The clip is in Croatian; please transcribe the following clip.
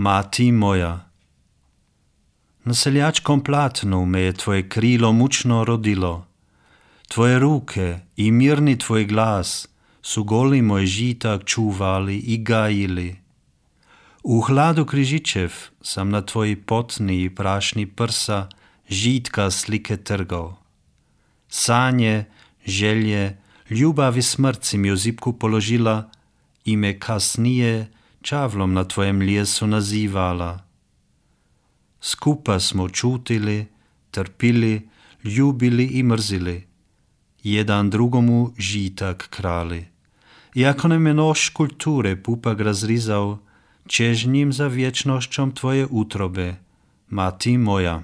Mati moja. Na seljačkom platnu me je tvoje krilo mučno rodilo. Tvoje ruke i mirni tvoj glas su goli moj žitak čuvali i gajili. U hladu križičev sam na tvoji potni i prašni prsa žitka slike trgao. Sanje, želje, ljubav i smrt si mi u zipku položila i me kasnije čavlom na tvojem lijesu nazivala. Skupa smo čutili, trpili, ljubili i mrzili, jedan drugomu žitak krali. I ako nam je nož kulture pupak razrizao, čežnjim za vječnošćom tvoje utrobe, mati moja.